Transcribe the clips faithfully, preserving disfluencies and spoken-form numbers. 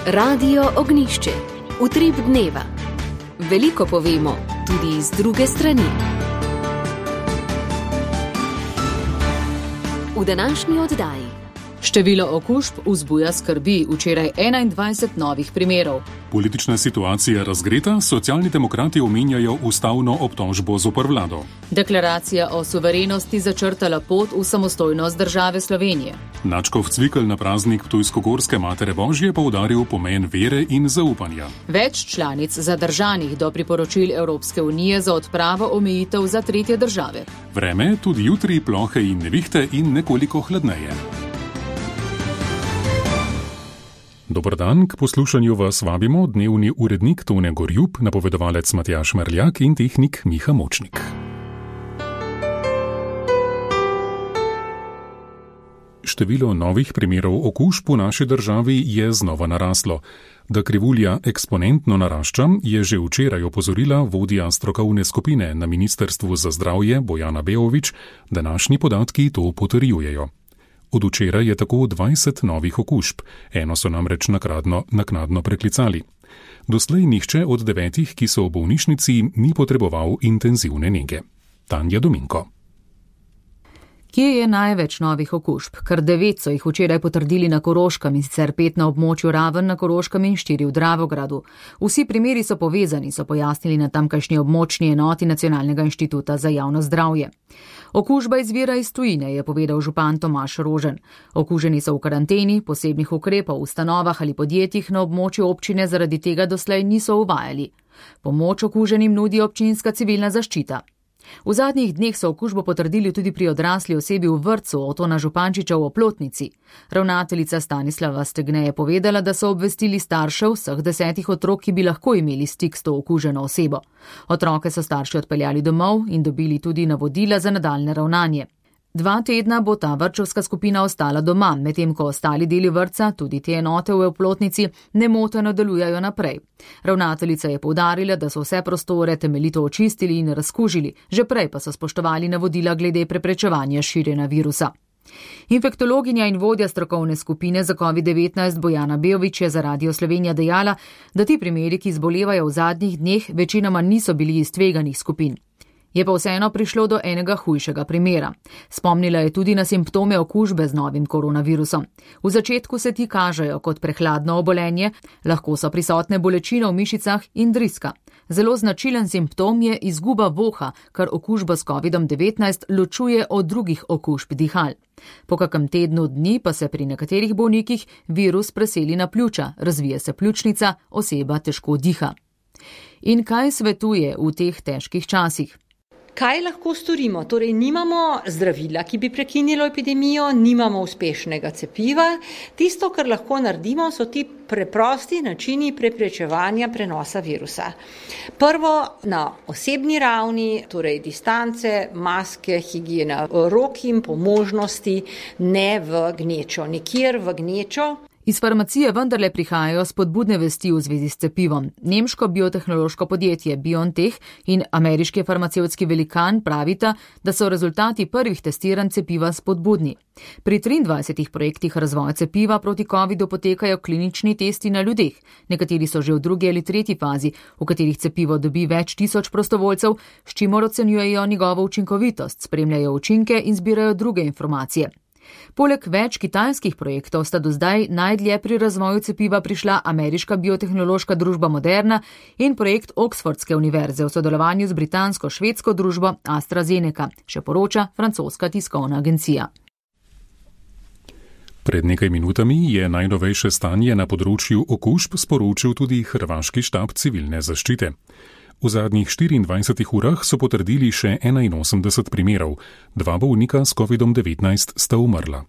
Radio Ognjišče. Utrip dneva. Veliko povemo, tudi iz druge strani. V današnji oddaji. Število okužb vzbuja skrbi, včeraj enaindvajset novih primerov. Politična situacija razgreta, socialni demokrati omenjajo ustavno obtožbo zoper vlado. Deklaracija o suverenosti začrtala pot v samostojnost države Slovenije. Načkov Cvikl na praznik Ptujsko-Gorske Matere Božje poudaril pomen vere in zaupanja. Več članic zadržanih do priporočil Evropske unije za odpravo omejitev za tretje države. Vreme tudi jutri plohe in nevihte in nekoliko hladneje. Dobar dan, k poslušanju vas vabimo dnevni urednik Tone Gorjup, napovedovalec Matjaž Merljak in tehnik Miha Močnik. Število novih primerov okužb v naši državi je znova naraslo. Da krivulja eksponentno narašča, je že včeraj opozorila vodja strokovne skupine na Ministrstvu za zdravje Bojana Beović, današnji podatki to potrjujejo. Od včeraj je tako dvajset novih okužb, eno so namreč nakradno, naknadno preklicali. Doslej nihče od devetih, ki so v bolnišnici, ni potreboval intenzivne nege. Tanja Dominko. Kje je največ novih okužb? Kar devet so jih včeraj potrdili na Koroškem, in sicer pet na območju Raven na Koroškem in štiri v Dravogradu. Vsi primeri so povezani, so pojasnili na tamkajšnji območni enoti Nacionalnega inštituta za javno zdravje. Okužba izvira iz tujine, je povedal župan Tomaž Rožen. Okuženi so v karanteni, posebnih ukrepov v ustanovah ali podjetjih na območju občine zaradi tega doslej niso uvajali. Pomoč okuženim nudi občinska civilna zaščita. V zadnjih dneh so okužbo potrdili tudi pri odrasli osebi v vrtcu Otona Župančiča v Oplotnici. Ravnateljica Stanislava Stegne je povedala, da so obvestili staršev vseh desetih otrok, ki bi lahko imeli stik s to okuženo osebo. Otroke so starši odpeljali domov in dobili tudi navodila za nadaljne ravnanje. Dva tedna bo ta vrtčevska skupina ostala doma, medtem ko ostali deli vrtca, tudi te enote v Oplotnici, nemoteno delujejo naprej. Ravnateljica je poudarila, da so vse prostore temeljito očistili in razkužili, že prej pa so spoštovali navodila glede preprečevanja širjenja virusa. Infektologinja in vodja strokovne skupine za covid devetnajst Bojana Beović je za Radio Slovenija dejala, da ti primeri, ki zbolevajo v zadnjih dneh, večinoma niso bili iz tveganih skupin. Je pa vseeno prišlo do enega hujšega primera. Spomnila je tudi na simptome okužbe z novim koronavirusom. V začetku se ti kažejo kot prehladno obolenje, lahko so prisotne bolečine v mišicah in driska. Zelo značilen simptom je izguba voha, kar okužbo s kovidom devetnajst ločuje od drugih okužb dihal. Po kakem tednu dni pa se pri nekaterih bolnikih virus preseli na pljuča, razvije se pljučnica, oseba težko diha. In kaj svetuje v teh težkih časih? Kaj lahko storimo? Torej, nimamo zdravila, ki bi prekinilo epidemijo, nimamo uspešnega cepiva. Tisto, kar lahko naredimo, so ti preprosti načini preprečevanja prenosa virusa. Prvo na osebni ravni, torej distance, maske, higiena rok in po možnosti ne v gnečo, nikjer v gnečo. Iz farmacije vendarle prihajajo spodbudne vesti v zvezi s cepivom. Nemško biotehnološko podjetje BioNTech in ameriški farmacevtski velikan pravita, da so rezultati prvih testiranj cepiva spodbudni. Pri triindvajsetih projektih razvoja cepiva proti covidu potekajo klinični testi na ljudeh. Nekateri so že v drugi ali tretji fazi, v katerih cepivo dobi več tisoč prostovoljcev, s čimer ocenjujejo njegovo učinkovitost, spremljajo učinke in zbirajo druge informacije. Poleg več kitajskih projektov sta do zdaj najdlje pri razvoju cepiva prišla ameriška biotehnološka družba Moderna in projekt Oxfordske univerze v sodelovanju z britansko-švedsko družbo AstraZeneca, še poroča francoska tiskovna agencija. Pred nekaj minutami je najnovejše stanje na področju okužb sporočil tudi hrvaški štab civilne zaščite. V zadnjih štiriindvajsetih urah so potrdili še enainosemdeset primerov, dva bolnika s kovidom devetnajst sta umrla.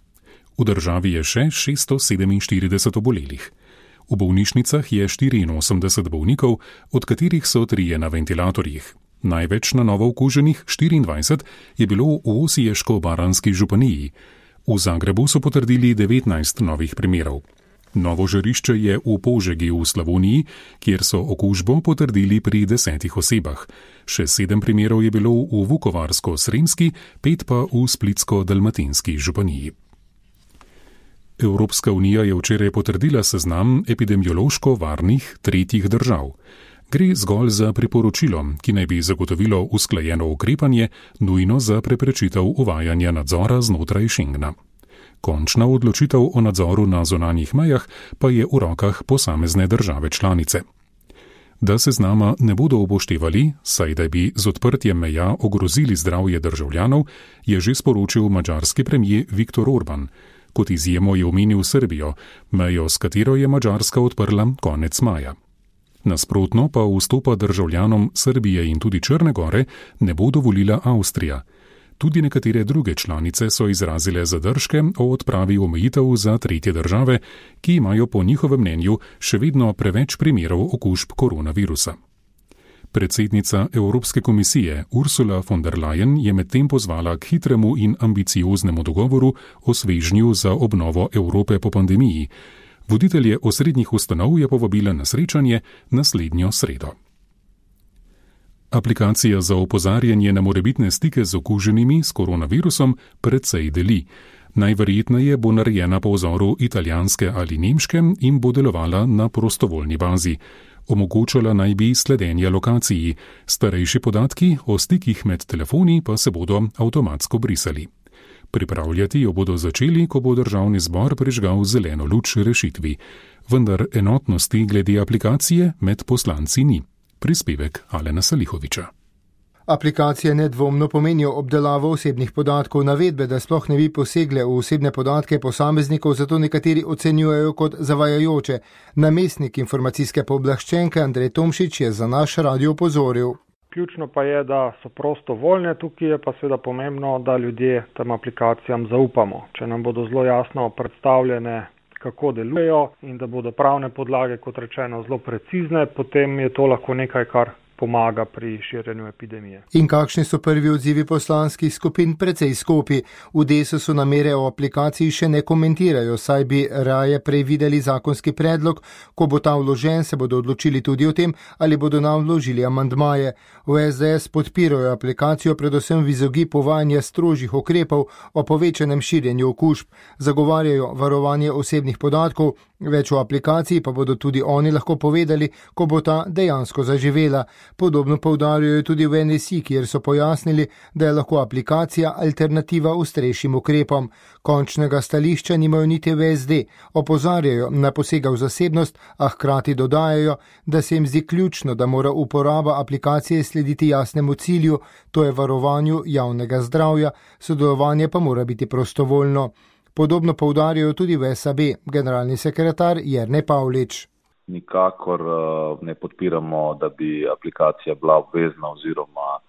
V državi je še šeststo sedeminštirideset obolelih. V bolnišnicah je štiriinosemdeset bolnikov, od katerih so trije na ventilatorjih. Največ na novo okuženih, štiriindvajset, je bilo v Osiješko-baranjski županiji. V Zagrebu so potrdili devetnajst novih primerov. Novo žarišče je v Požegi v Slavoniji, kjer so okužbo potrdili pri desetih osebah. Še sedem primerov je bilo v Vukovarsko-Sremski, pet pa v Splitsko-Dalmatinski županiji. Evropska unija je včeraj potrdila seznam epidemiološko varnih tretjih držav. Gre zgolj za priporočilo, ki naj bi zagotovilo usklajeno ukrepanje, nujno za preprečitev uvajanja nadzora znotraj Schengena. Končna odločitev o nadzoru na zunanjih mejah pa je v rokah posamezne države članice. Da seznama ne bodo upoštevali, saj da bi z odprtjem meja ogrozili zdravje državljanov, je že sporočil madžarski premijer Viktor Orban. Kot izjemo je omenil Srbijo, mejo s katero je Madžarska odprla konec maja. Nasprotno pa vstopa državljanom Srbije in tudi Črne gore ne bo dovolila Avstrija. Tudi nekatere druge članice so izrazile zadržke o odpravi omejitev za tretje države, ki imajo po njihovem mnenju še vedno preveč primerov okužb koronavirusa. Predsednica Evropske komisije Ursula von der Leyen je medtem pozvala k hitremu in ambicioznemu dogovoru o svežnju za obnovo Evrope po pandemiji. Voditelje osrednjih ustanov je povabila na srečanje naslednjo sredo. Aplikacija za opozarjanje na morebitne stike z okuženimi s koronavirusom precej deli. Najverjetneje bo narejena po vzoru italijanske ali nemške in bo delovala na prostovoljni bazi. Omogočala naj bi sledenje lokaciji, starejši podatki o stikih med telefoni pa se bodo avtomatsko brisali. Pripravljati jo bodo začeli, ko bo državni zbor prižgal zeleno luč rešitvi. Vendar enotnosti glede aplikacije med poslanci ni. Prispevek Alena Salihoviča. Aplikacije nedvomno pomenijo obdelavo osebnih podatkov, navedbe, da sploh ne bi posegle v osebne podatke posameznikov, zato nekateri ocenjujejo kot zavajajoče. Namestnik informacijske pooblaščenke Andrej Tomšič je za naš radio opozoril. Ključno pa je, da so prostovoljne, tukaj je pa seveda pomembno, da ljudje tem aplikacijam zaupamo. Če nam bodo zelo jasno predstavljene, kako delujejo in da bodo pravne podlage, kot rečeno, zelo precizne, potem je to lahko nekaj, kar pomaga pri širjenju epidemije. In kakšni so prvi odzivi poslanskih skupin? Precej skopi. V Desusu namere o aplikaciji še ne komentirajo, saj bi raje prej videli zakonski predlog. Ko bo ta vložen, se bodo odločili tudi o tem, ali bodo nam vložili amandmaje. V es de es podpirajo aplikacijo predvsem v izogib uvajanja strožjih ukrepov o povečanem širjenju okužb. Zagovarjajo varovanje osebnih podatkov, več o aplikaciji pa bodo tudi oni lahko povedali, ko bo ta dejansko zaživela. Podobno poudarjajo tudi v en es i, kjer so pojasnili, da je lahko aplikacija alternativa ostrejšim ukrepom. Končnega stališča nimajo niti v es de. Opozarjajo na posega v zasebnost, a hkrati dodajajo, da se jim zdi ključno, da mora uporaba aplikacije slediti jasnemu cilju, to je varovanju javnega zdravja, sodelovanje pa mora biti prostovoljno. Podobno poudarjajo tudi v es a be, generalni sekretar Jernej Pavlič. Nikakor ne podpiramo, da bi aplikacija bila obvezna oziroma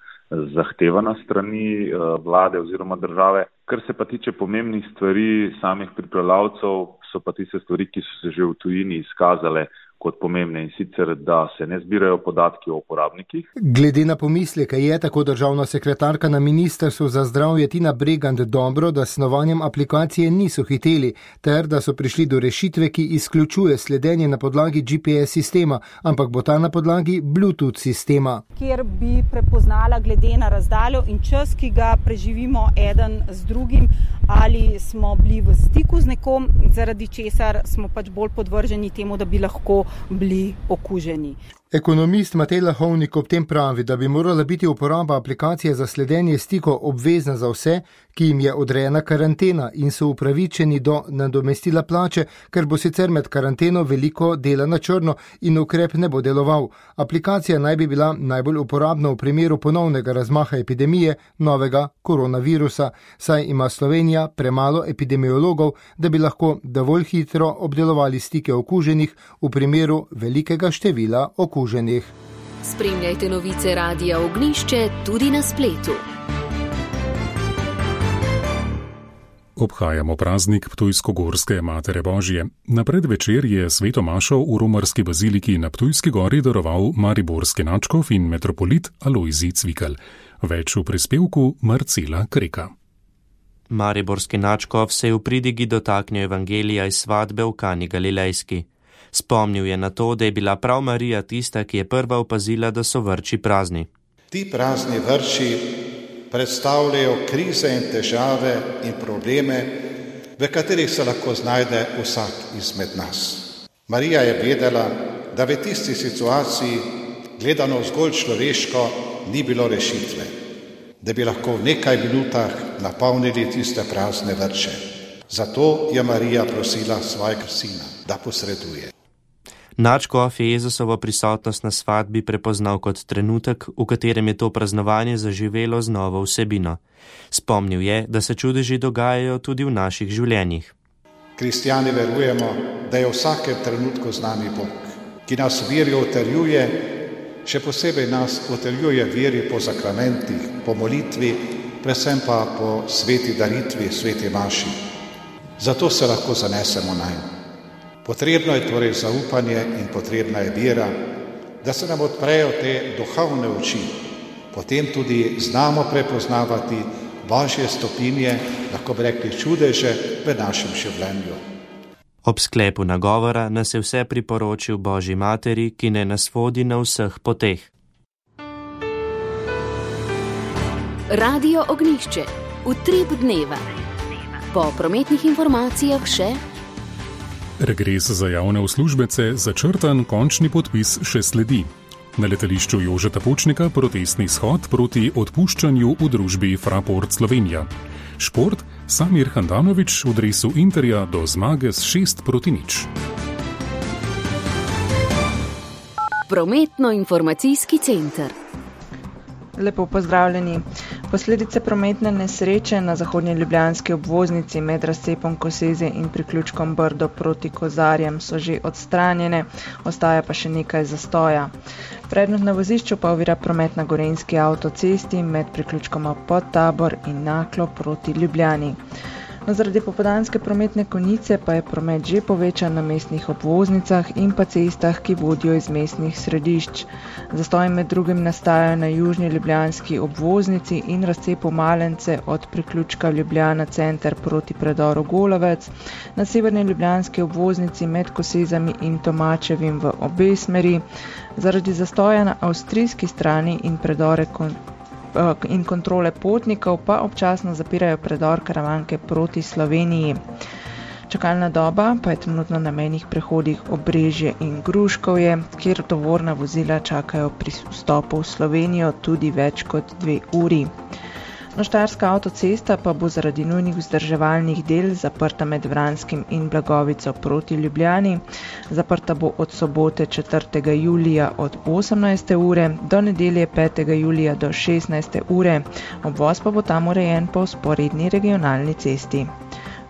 zahtevana strani vlade oziroma države. Kar se pa tiče pomembnih stvari samih pripravljavcev, so pa tiste stvari, ki so se že v tujini izkazale kot pomembne, in sicer, da se ne zbirajo podatki o uporabnikih. Glede na pomisleke je tako državna sekretarka na Ministrstvu za zdravje Tina Bregant dobro, da s snovanjem aplikacije niso hiteli, ter da so prišli do rešitve, ki izključuje sledenje na podlagi G P S sistema, ampak bo ta na podlagi Bluetooth sistema. Kjer bi prepoznala glede na razdaljo in čas, ki ga preživimo eden z drugim, ali smo bili v stiku z nekom, zaradi česar smo pač bolj podvrženi temu, da bi lahko bili okuženi. Ekonomist Matej Lahovnik ob tem pravi, da bi morala biti uporaba aplikacije za sledenje stikov obvezna za vse, ki jim je odrejena karantena in so upravičeni do nadomestila plače, ker bo sicer med karanteno veliko dela na črno in ukrep ne bo deloval. Aplikacija naj bi bila najbolj uporabna v primeru ponovnega razmaha epidemije novega koronavirusa, saj ima Slovenija premalo epidemiologov, da bi lahko dovolj hitro obdelovali stike okuženih v primeru velikega števila okuženih. Spremljajte novice Radia Ognjišče tudi na spletu. Obhajamo praznik Ptujsko-Gorske Matere Božje. Na predvečer je sveto mašo v romarski baziliki na Ptujski gori daroval mariborski nadškof in metropolit Alojzij Cvikl. Več v prispevku Marcela Kreka. Mariborski nadškof se je v pridigi dotaknil evangelija iz svatbe v Kani Galilejski. Spomnil je na to, da je bila prav Marija tista, ki je prva opazila, da so vrči prazni. Ti prazni vrči predstavljajo krize in težave in probleme, v v katerih se lahko znajde vsak izmed nas. Marija je vedela, da v tisti situaciji, gledano zgolj človeško, ni bilo rešitve, da bi lahko v nekaj minutah napolnili tiste prazne vrče. Zato je Marija prosila svojega sina, da posreduje. Nadškof je Jezusovo prisotnost na svadbi prepoznal kot trenutek, v katerem je to praznovanje zaživelo z novo vsebino. Spomnil je, da se čudeži dogajajo tudi v naših življenjih. Kristjani verujemo, da je v vsakem trenutku z nami Bog, ki nas veri utrjuje, še posebej nas utrjuje veri po sakramentih, po molitvi, predvsem pa po sveti daritvi, sveti maši. Zato se lahko zanesemo nanj. Potrebno je torej zaupanje in potrebna je vera, da se nam odprejo te duhovne oči. Potem tudi znamo prepoznavati Božje stopinje, lahko bi rekli čudeže v našem življenju. Ob sklepu nagovora nas je vse priporočil Božji materi, ki ne nas vodi na vseh poteh. Radio Ognjišče, utrip dneva. Po prometnih informacijah še regres za javne uslužbence, začrtan končni podpis še sledi. Na letališču Jožeta Pučnika protestni shod proti odpuščanju v družbi Fraport Slovenija. Šport, Samir Handanović v dresu Interja do zmage s šest proti nič. Prometno-informacijski center. Lepo pozdravljeni. Posledice prometne nesreče na zahodnji ljubljanski obvoznici med razcepom Koseze in priključkom Brdo proti Kozarjem so že odstranjene, ostaja pa še nekaj zastoja. Predmet na vozišču pa ovira promet na Gorenjski avtocesti med priključkoma Podtabor in Naklo proti Ljubljani. No, zaradi popoldanske prometne konice pa je promet že povečan na mestnih obvoznicah in pa cestah, ki vodijo iz mestnih središč. Zastoji med drugim nastajajo na južni ljubljanski obvoznici in razcepu Malence od priključka Ljubljana center proti predoru Golovec, na severni ljubljanski obvoznici med Kosezami in Tomačevim v obe smeri, zaradi zastoja na avstrijski strani in predore kon in kontrole potnikov pa občasno zapirajo predor Karavanke proti Sloveniji. Čakalna doba pa je trenutno na mejnih prehodih Obrežje in Gruškovje, kjer tovorna vozila čakajo pri vstopu v Slovenijo tudi več kot dve uri. No, Štajerska avtocesta pa bo zaradi nujnih vzdrževalnih del zaprta med Vranskim in Blagovico proti Ljubljani. Zaprta bo od sobote četrtega julija od osemnajste ure do nedelje petega julija do šestnajste ure. Obvoz pa bo tam urejen po vzporedni regionalni cesti.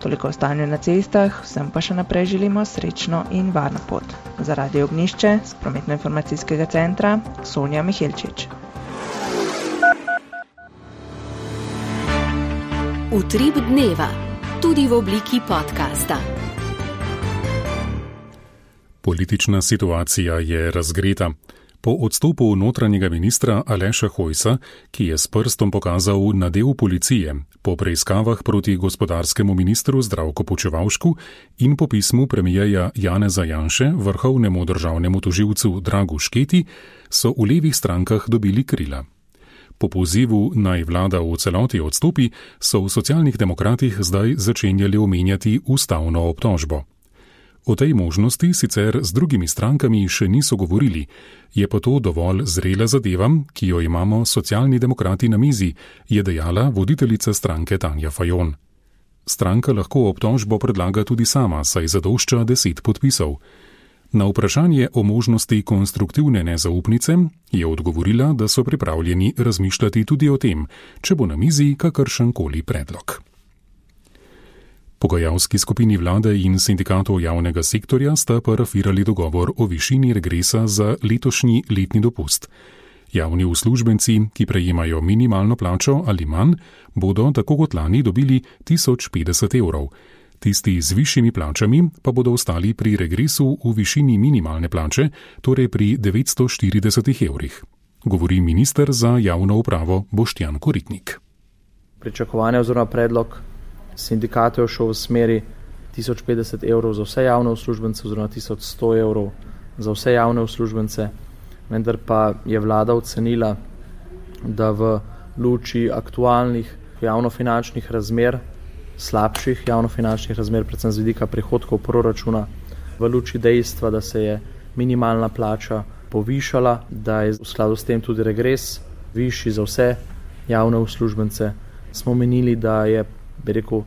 Toliko o stanju na cestah, vsem pa še naprej želimo srečno in varno pot. Za Radio Ognjišče z prometno-informacijskega centra Sonja Mihelčič. Utrip dneva, tudi v obliki podcasta. Politična situacija je razgreta. Po odstopu notranjega ministra Aleša Hojsa, ki je s prstom pokazal na del policije, po preiskavah proti gospodarskemu ministru Zdravku Počivalšku in po pismu premijeja Janeza Janše vrhovnemu državnemu tožilcu Dragu Šketi, so v levih strankah dobili krila. Po pozivu naj vlada v celoti odstopi, so v Socialnih demokratih zdaj začenjali omenjati ustavno obtožbo. O tej možnosti sicer z drugimi strankami še niso govorili, je pa to dovolj zrela zadeva, ki jo imamo Socialni demokrati na mizi, je dejala voditeljica stranke Tanja Fajon. Stranka lahko obtožbo predlaga tudi sama, saj zadošča deset podpisov. Na vprašanje o možnosti konstruktivne nezaupnice je odgovorila, da so pripravljeni razmišljati tudi o tem, če bo na mizi kakršenkoli predlog. Pogajalski skupini vlade in sindikatov javnega sektorja sta parafirali dogovor o višini regresa za letošnji letni dopust. Javni uslužbenci, ki prejemajo minimalno plačo ali manj, bodo tako kot lani dobili tisoč petdeset evrov. Tisti z višjimi plačami pa bodo ostali pri regresu v višini minimalne plače, torej pri devetsto štirideset evrih. Govori minister za javno upravo Boštjan Koritnik. Pričakovanje oziroma predlog sindikatov šel v smeri tisoč petdeset evrov za vse javne uslužbence oziroma tisoč sto evrov za vse javne uslužbence, vendar pa je vlada ocenila, da v luči aktualnih javnofinančnih razmer slabših javnofinančnih razmer, predvsem z vidika prihodkov proračuna, v luči dejstva, da se je minimalna plača povišala, da je v skladu s tem tudi regres višji za vse javne uslužbence, smo menili, da je, bi rekel,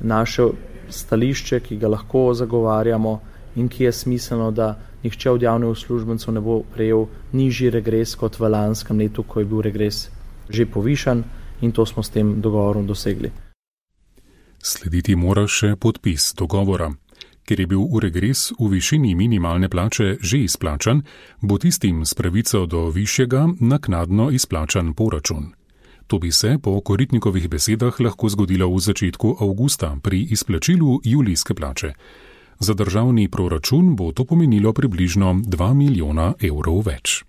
naše stališče, ki ga lahko zagovarjamo in ki je smiselno, da nihče od javnih uslužbencev ne bo prejel nižji regres kot v lanskem letu, ko je bil regres že povišan, in to smo s tem dogovorom dosegli. Slediti mora še podpis dogovora. Ker je bil regres v višini minimalne plače že izplačan, bo tistim s pravico do višjega naknadno izplačan poračun. To bi se po Koritnikovih besedah lahko zgodilo v začetku avgusta pri izplačilu julijske plače. Za državni proračun bo to pomenilo približno dva milijona evrov več.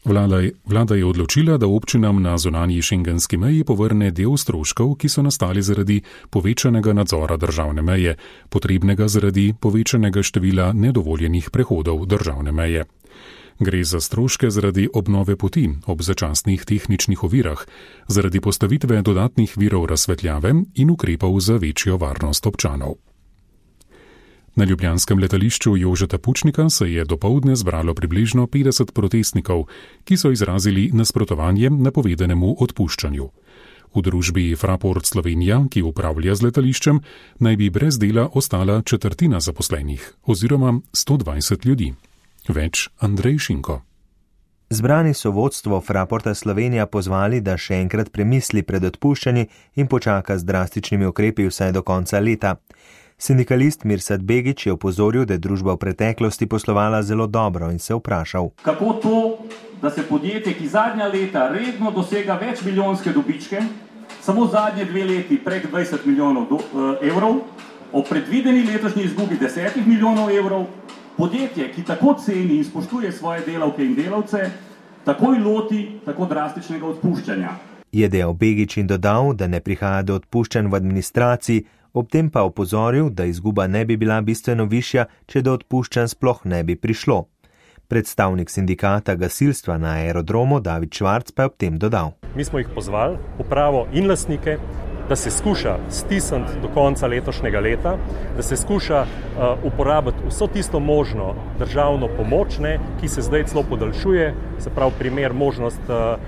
Vlada, vlada je odločila, da občinam na zunanji šengenski meji povrne del stroškov, ki so nastali zaradi povečanega nadzora državne meje, potrebnega zaradi povečanega števila nedovoljenih prehodov državne meje. Gre za stroške zaradi obnove poti ob začasnih tehničnih ovirah, zaradi postavitve dodatnih virov razsvetljave in ukrepov za večjo varnost občanov. Na ljubljanskem letališču Jožeta Pučnika se je dopoldne zbralo približno petdeset protestnikov, ki so izrazili nasprotovanje napovedanemu odpuščanju. V družbi Fraport Slovenija, ki upravlja z letališčem, naj bi brez dela ostala četrtina zaposlenih oziroma sto dvajset ljudi. Več Andrej Šinko. Zbrani so vodstvo Fraporta Slovenija pozvali, da še enkrat premisli pred odpuščanji in počaka z drastičnimi ukrepi vsaj do konca leta. Sindikalist Mirsad Begić je opozoril, da je družba v preteklosti poslovala zelo dobro in se vprašal. Kako to, da se podjetje, ki zadnja leta redno dosega več milijonske dobičke, samo zadnje dve leti prek dvajset milijonov do, uh, evrov, o predvideni letošnji izgubi desetih milijonov evrov, podjetje, ki tako ceni in spoštuje svoje delavke in delavce, takoj loti tako drastičnega odpuščanja. Je dejal Begić in dodal, da ne prihaja do odpuščanj v administraciji, ob tem pa opozoril, da izguba ne bi bila bistveno višja, če do odpuščanj sploh ne bi prišlo. Predstavnik sindikata gasilstva na aerodromu David Švarc pa je ob tem dodal. Mi smo jih pozvali, upravo in lastnike, da se skuša stisniti do konca letošnjega leta, da se skuša uh, uporabiti vso tisto možno državno pomoč, ne, ki se zdaj celo podaljšuje, se pravi primer možnost uh,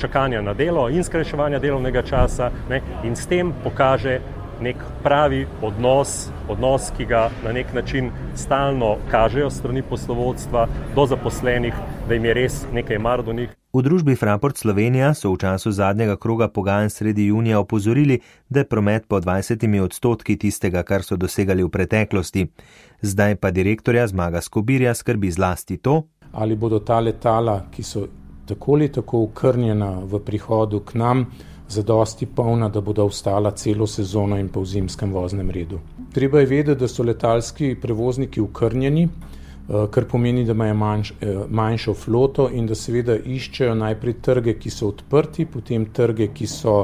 čakanja na delo in skrajševanja delovnega časa, ne, in s tem pokaže nek pravi odnos, odnos, ki ga na nek način stalno kažejo strani poslovodstva do zaposlenih, da jim je res nekaj mar do njih. V družbi Fraport Slovenija so v času zadnjega kroga pogajanj sredi junija opozorili, da je promet po dvajsetimi odstotki tistega, kar so dosegali v preteklosti. Zdaj pa direktorja Zmaga Skobirja skrbi zlasti to, ali bodo ta letala, ki so tako ali tako ukrnjena v prihodu k nam, zadosti polna, da bodo ostala celo sezono in pa v zimskem voznem redu. Treba je vedeti, da so letalski prevozniki ukrnjeni, kar pomeni, da imajo manjš, manjšo floto in da seveda iščejo najprej trge, ki so odprti, potem trge, ki so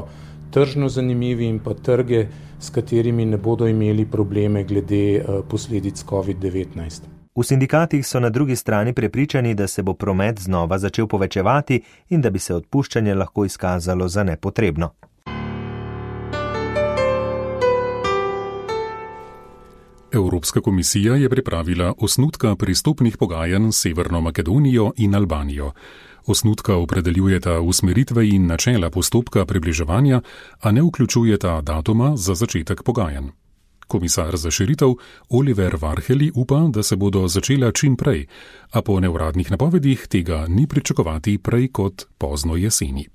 tržno zanimivi in pa trge, s katerimi ne bodo imeli probleme glede posledic covid devetnajst. V sindikatih so na drugi strani prepričani, da se bo promet znova začel povečevati in da bi se odpuščanje lahko izkazalo za nepotrebno. Evropska komisija je pripravila osnutka pristopnih pogajanj s Severno Makedonijo in Albanijo. Osnutka opredeljujeta usmeritve in načela postopka približevanja, a ne vključujeta datuma za začetek pogajanj. Komisar za širitev Oliver Varhelyi upa, da se bodo začela čim prej, a po neuradnih napovedih tega ni pričakovati prej kot pozno jeseni.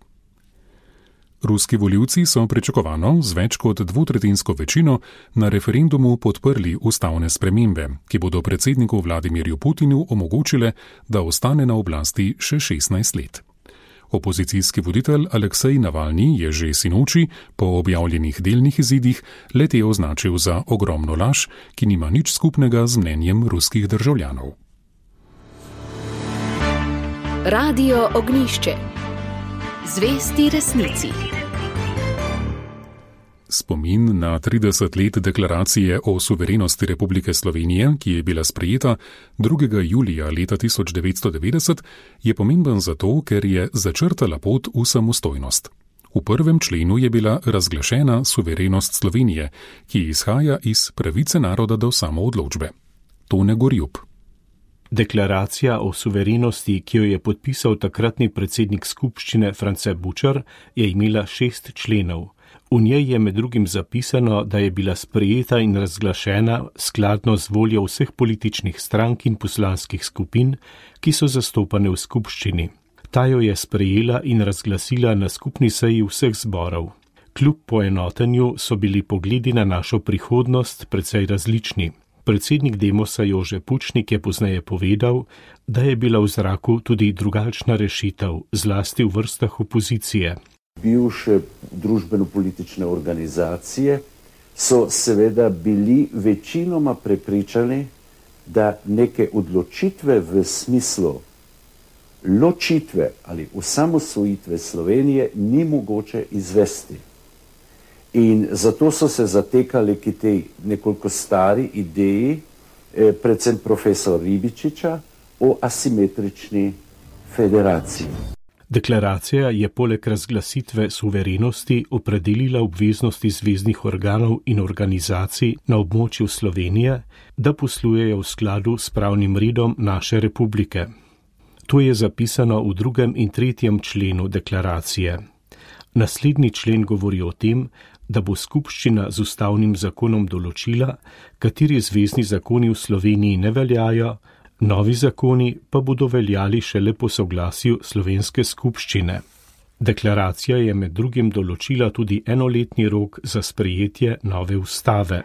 Ruski volivci so pričakovano z več kot dvotretjinsko večino na referendumu podprli ustavne spremembe, ki bodo predsedniku Vladimirju Putinu omogočile, da ostane na oblasti še šestnajst let. Opozicijski voditelj Aleksej Navalni je že sinoči po objavljenih delnih izidih le-te označil za ogromno laž, ki nima nič skupnega z mnenjem ruskih državljanov. Radio Ognjišče. Zvesti resnici. Spomin na trideset let deklaracije o suverenosti Republike Slovenije, ki je bila sprejeta drugega julija leta tisoč devetsto devetdeset, je pomemben zato, ker je začrtala pot v samostojnost. V prvem členu je bila razglašena suverenost Slovenije, ki izhaja iz pravice naroda do samoodločbe. Tone Gorjup. Deklaracija o suverenosti, ki jo je podpisal takratni predsednik skupščine France Bučar, je imela šest členov. V njej je med drugim zapisano, da je bila sprejeta in razglašena skladno z voljo vseh političnih strank in poslanskih skupin, ki so zastopane v skupščini. Ta jo je sprejela in razglasila na skupni seji vseh zborov. Kljub poenotenju so bili pogledi na našo prihodnost precej različni. Predsednik Demosa Jože Pučnik je pozneje povedal, da je bila v zraku tudi drugačna rešitev, zlasti v vrstah opozicije. Bivše družbeno-politične organizacije so seveda bili večinoma prepričani, da neke odločitve v smislu ločitve ali osamosvojitve Slovenije ni mogoče izvesti. In zato so se zatekali k tej nekoliko stari ideji, eh, predvsem profesor Ribičiča, o asimetrični federaciji. Deklaracija je poleg razglasitve suverenosti opredelila obveznosti zveznih organov in organizacij na območju Slovenije, da poslujejo v skladu s pravnim redom naše republike. To je zapisano v drugem in tretjem členu deklaracije. Naslednji člen govori o tem, da bo skupščina z ustavnim zakonom določila, kateri zvezni zakoni v Sloveniji ne veljajo, novi zakoni pa bodo veljali šele po soglasju slovenske skupščine. Deklaracija je med drugim določila tudi enoletni rok za sprejetje nove ustave.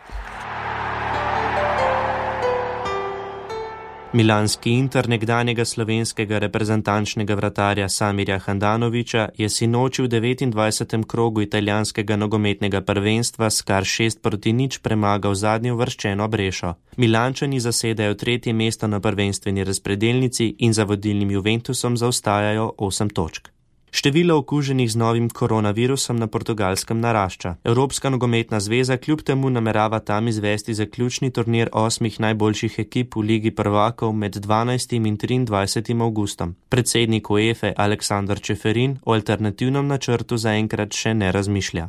Milanski Inter nekdanjega slovenskega reprezentančnega vratarja Samirja Handanovića je sinoči v devetindvajsetem krogu italijanskega nogometnega prvenstva s kar šest proti nič premagal zadnjo uvrščeno Brešo. Milančani zasedajo tretje mesto na prvenstveni razpredelnici in za vodilnim Juventusom zaostajajo osem točk. Število okuženih z novim koronavirusom na Portugalskem narašča. Evropska nogometna zveza kljub temu namerava tam izvesti zaključni turnir osmih najboljših ekip v Ligi prvakov med dvanajstim in triindvajsetim avgustom. Predsednik UEFA Aleksander Čeferin o alternativnem načrtu zaenkrat še ne razmišlja.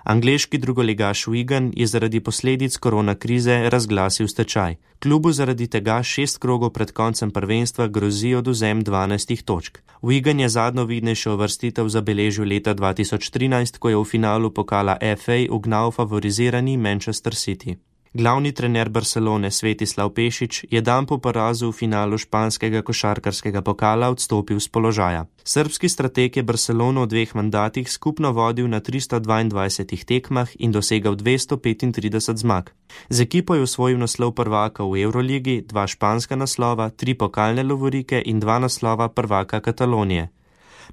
Angleški drugoligaš Wigan je zaradi posledic koronakrize razglasil stečaj. Klubu zaradi tega šest krogov pred koncem prvenstva grozi odvzem dvanajstih točk. Wigan je zadnjo vidnejšo uvrstitev zabeležil leta dva tisoč trinajst, ko je v finalu pokala F A ugnal favorizirani Manchester City. Glavni trener Barcelone Svetislav Pešić je dan po porazu v finalu španskega košarkarskega pokala odstopil z položaja. Srbski strateg je Barcelono v dveh mandatih skupno vodil na tristo dvaindvajsetih tekmah in dosegal dvesto petintrideset zmag. Z ekipo je osvojil naslov prvaka v Euroligi, dva španska naslova, tri pokalne lovorike in dva naslova prvaka Katalonije.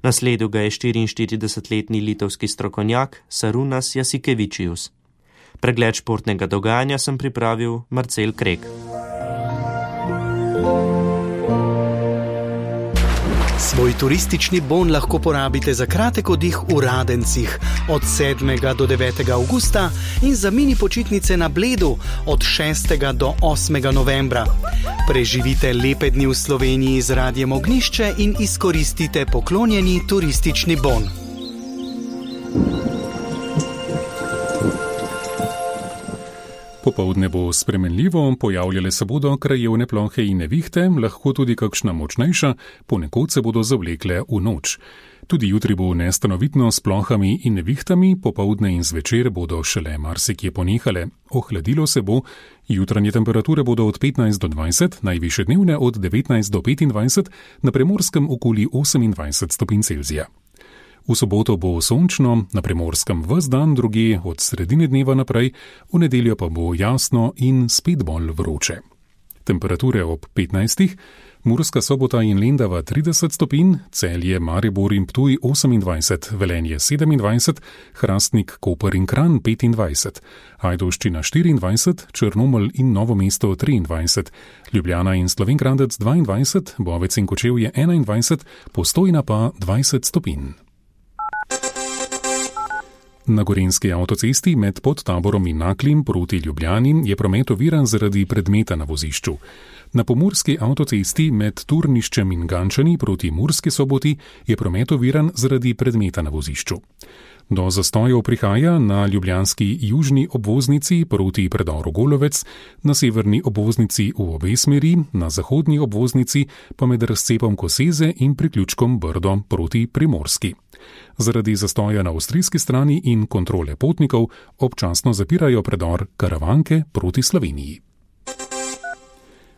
Nasledil ga je štiriinštiridesetletni litovski strokovnjak Sarunas Jasikevičius. Pregled športnega dogajanja sem pripravil Marcel Krek. Svoj turistični bon lahko porabite za kratek oddih v Radencih od sedmega do devetega avgusta in za mini počitnice na Bledu od šestega do osmega novembra. Preživite lepe dni v Sloveniji z Radiem Ognjišče in izkoristite poklonjeni turistični bon. Popoldne bo spremenljivo, pojavljale se bodo krajevne plohe in nevihte, lahko tudi kakšna močnejša, ponekod se bodo zavlekle v noč. Tudi jutri bo nestanovitno s plohami in nevihtami, popoldne in zvečer bodo šele marsikje ponehale. Ohladilo se bo, jutranje temperature bodo od petnajst do dvajset, najvišje dnevne od devetnajst do petindvajset, na Primorskem okoli osemindvajset stopinj Celzija. V soboto bo sončno, na Primorskem ves dan, drugje od sredine dneva naprej, v nedeljo pa bo jasno in spet bolj vroče. Temperature ob petnajstih, Murska Sobota in Lendava trideset stopinj, Celje, Maribor in Ptuj osemindvajset, Velenje sedemindvajset, Hrastnik, Koper in Kranj petindvajset, Ajdovščina štiriindvajset, Črnomelj in Novo mesto triindvajset, Ljubljana in Slovenj Gradec dvaindvajset, Bovec in Kočevje enaindvajset, Postojna pa dvajset stopinj. Na Gorenjski avtocesti med Podtaborom in Naklim proti Ljubljani je promet oviran zaradi predmeta na vozišču. Na Pomurski avtocesti med Turniščem in Gančani proti Murski Soboti je promet oviran zaradi predmeta na vozišču. Do zastojev prihaja na ljubljanski južni obvoznici proti predoru Golovec, na severni obvoznici v obe smeri, na zahodni obvoznici pa med razcepom Koseze in priključkom Brdo proti Primorski. Zaradi zastoja na avstrijski strani in kontrole potnikov občasno zapirajo predor Karavanke proti Sloveniji.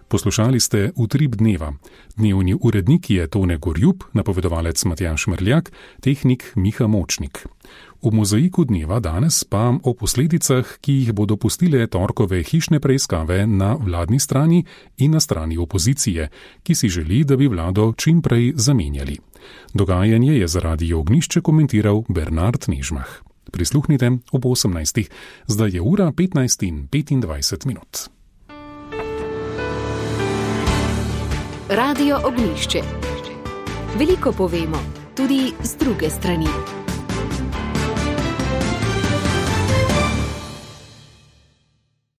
Poslušali ste Utrip dneva. Dnevni urednik je Tone Gorjup, napovedovalec Matjaž Merljak, tehnik Miha Močnik. V mozaiku dneva danes pa o posledicah, ki jih bodo pustile torkove hišne preiskave na vladni strani in na strani opozicije, ki si želi, da bi vlado čim prej zamenjali. Dogajanje je za Radio Ognjišče komentiral Bernard Nežmah. Prisluhnite ob osemnajstih, zdaj je ura petnajst in petindvajset minut. Radio Ognjišče. Veliko povemo, tudi z druge strani.